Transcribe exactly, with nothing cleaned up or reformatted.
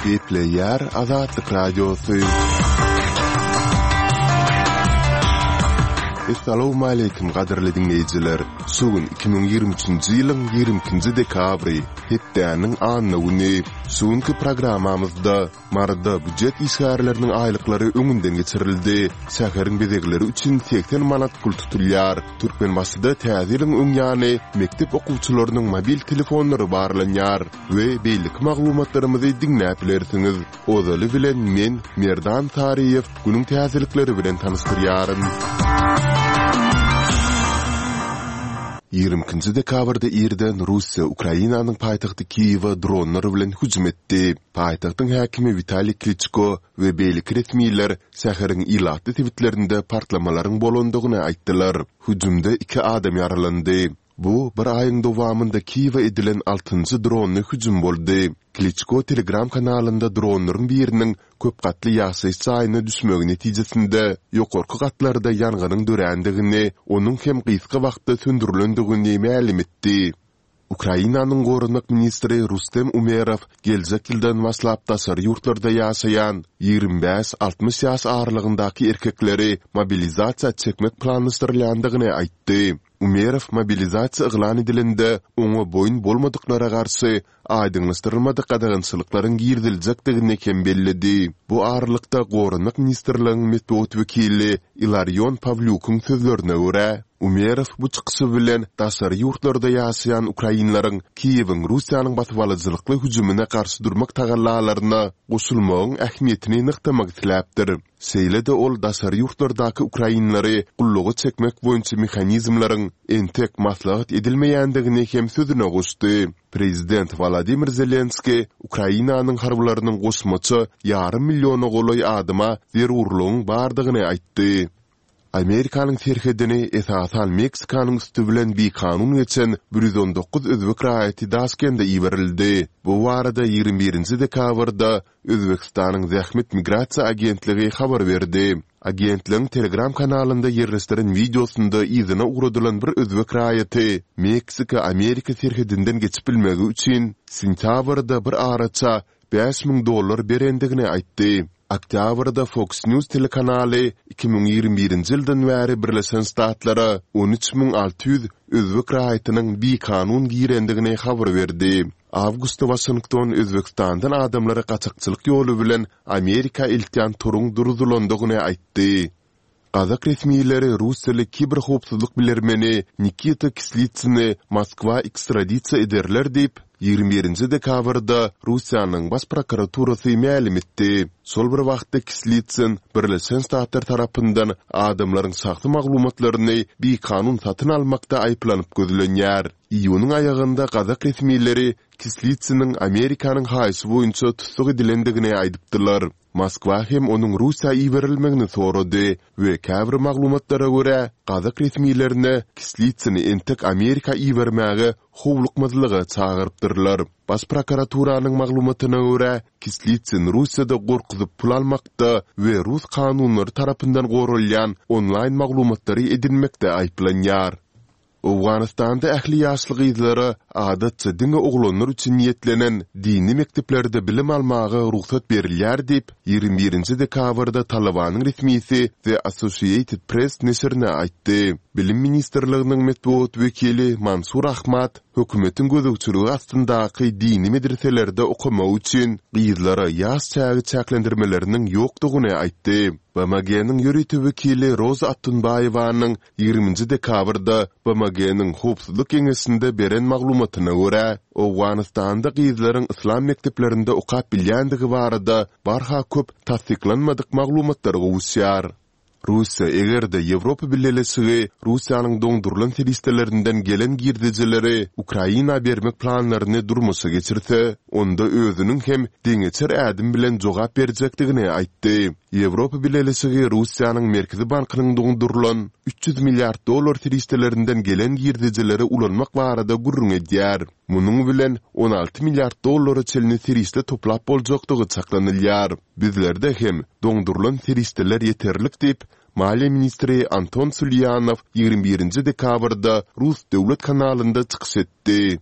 Gepleýär Azatlyk Radiosy. Essalawmaleýkim gadyrly diňleýjiler! Şu gün iki müň ýigrimi üçünji ýylyň ýigrimi ikinji dekabry, hepdäniň anna güni. Şu günki programmamyzda Maryda býujet işgärleriniň aýlyklary öňünden geçirildi. Şäheriň bezegleri üçin segsen manat pul tutulýar. Türkmenbaşyda Täze ýylyň öň ýany mekdep okuwçylarynyň mobil telefonlary barlanýar we beýleki maglumatlarymyzy diňläp bilersiňiz. Ozaly bilen men, Merdan Saryýew, günüň täzelikleri bilen tanyşdyrýaryn. Ýigrimi ikinji dekabrda irden Russiýa Ukrainanyň paýtagty Kiýewe dronlar bilen hüjüm etdi. Paýtagtyň häkimi Witaliý Kliçko we beýleki resmiler şäheriň ilatly sebitlerinde partlamalaryň bolandygyny aýtdylar. Hüjümde iki adam ýaralandy. Bu bir aýyň dowamynda Kiýewe edilen altynjy dronly hüjüm boldy. Kliçko Telegram kanalynda dronlaryň biriniň köp gatly ýaşaýyş jaýyna düşmegi netijesinde ýokarky gatlarda ýangynyň dörändigini, onuň hem gysga wagtda söndürilendigini mälim etdi. Ukrainanyň goranmak ministri Rustem Umerow geljek ýyldan başlap daşary ýurtlarda ýaşaýan ýigrimi bäş-altmyş ýaş aralygyndaky erkekleri mobilizasiýa çekmek planlaşdyrylýandygyny aýtdy. Umerow mobilizasiýa yglan edilende oňa boýun bolmadyklara garşy aýdyňlaşdyrylmadyk gadagançylyklaryň giriziljekdigini hem belledi. Bu aralykda, Goranmak ministrligiň metbugat wekili Ilarion Pawlýukyň sözlerine görä, Umerow bu çykyşy bilen daşary ýurtlarda ýaşaýan ukrainleriň Kiýewiň Russiýanyň basybalyjylykly hüjümine garşy durmak tagallalaryna goşulmagyň ähmiýetini nygtamak isläpdir. Şeýle-de ol daşary ýurtlardaky ukrainleri gulluga çekmek boýunça mehanizmleriň entek maslahat edilmeýändigini hem sözüne goşdy. Prezident Wolodymyr Zelenskiý Ukrainanyň harbylarynyň goşmaça ýarym milliona golaý adama zerurlygyň bardygyny aýtdy. Amerikanyň serhedini, esasan Meksikanyň üsti bilen bikanun geçen bir ýüz on dokuz özbek raýaty Daşkende iberildi. Bu barada ýigrimi birinji dekabrda Özbegistanyň Zähmet migrasiýa agentligi habar berdi. Agentligiň Telegram kanalynda ýerleşdiren wideosynda yzyna ugradylan bir özbek raýaty Meksika-Amerika serhedinden geçip bilmegi üçin sentýabrda bir araça bäş müň dollar berendigini aýtdy. Oktýabrda Fox News telekanaly iki müň ýigrimi birinji ýyldan bäri Birleşen Ştatlara on üç müň alty ýüz özbek raýatynyň bikanun girendigini habar berdi. Awgustda Waşington Özbegistandan adamlary gaçakçylyk ýoly bilen Amerika eltýän toruň durzulandygyny aýtdy. Gazak resmileri russiýaly kiberhowpsuzlyk bilermeni Nikita Kislitsyny Moskwa ekstradisiýa ederler diýip, ýigrimi birinji dekabrda Russiýanyň Baş prokuraturasy mälim etdi. Şol bir wagtda Kislitsyn Birleşen Ştatlar tarapyndan adamlaryň şahsy maglumatlaryny bikanun satyn almakda aýyplanyp gözlenýär. Iýunyň aýagynda gazak resmileri Kislitsynyň Amerikanyň haýyşy boýunça tussag edilendigini aýdypdylar. Moskwa hem onuň Russiýa iberilmegini sorady we käbir maglumatlara görä, gazak resmilerine Kislitsyny entek Amerika ibermäge howlukmazlyga çagyrypdyrlar. Baş prokuraturanyň maglumatyna görä, Kislitsyn Russiýada gorkuzyp pul almakda we rus kanunlary tarapyndan goralýan onlaýn maglumatlary edinmekde aýyplanýar. Owganystanda ähli ýaşly gyzlara adatça diňe oglanlar üçin niýetlenen dini mekdeplerde bilim almaga rugsat berilýär diýip, ýigrimi birinji dekabrda Talybanyň resmisi The Associated Press neşirine aýtdy. Bilim ministrliginiň metbugat wekili Mansur Ahmad hökümetiň gözegçiligi astyndaky dini medreselerde okamak üçin gyzlara ýaş çägi çäklendirmeleriniň ýokdugyny aýtdy. BMG-niň ýörite wekili Roza Attunbaýewanyň Ýigriminji dekabrda BMG-niň Howpsuzlyk Geňeşinde beren maglumatyna görä, Owganystanda gyzlaryň yslam mekdeplerinde okap bilýändigi barada barha köp tassyklanmadyk maglumatlar gowuşýar. Russiýa eger-de Ýewropa Bileleşigi Russiýanyň doňdurylan serişdelerinden gelen girdejileri Ukraina bermek planlaryny durmuşa geçirse, onda özüniň hem deňeçer ädim bilen jogap berjekdigini aýtdy. Ýewropa Bileleşigi Russiýanyň Merkezi bankynyň doňdurylan üç ýüz milliard dollar serişdelerinden gelen girdejileri ulanmak barada gürrüň edýär. Munuň bilen on alty milliard dollara çenli serişde toplap boljakdygy çaklanylýar. Bizlerde hem doňdurylan serişdeler ýeterlik diýip, maliýe ministri Anton Sulýanow ýigrimi birinji dekabrda rus döwlet kanalynda çykyş etdi.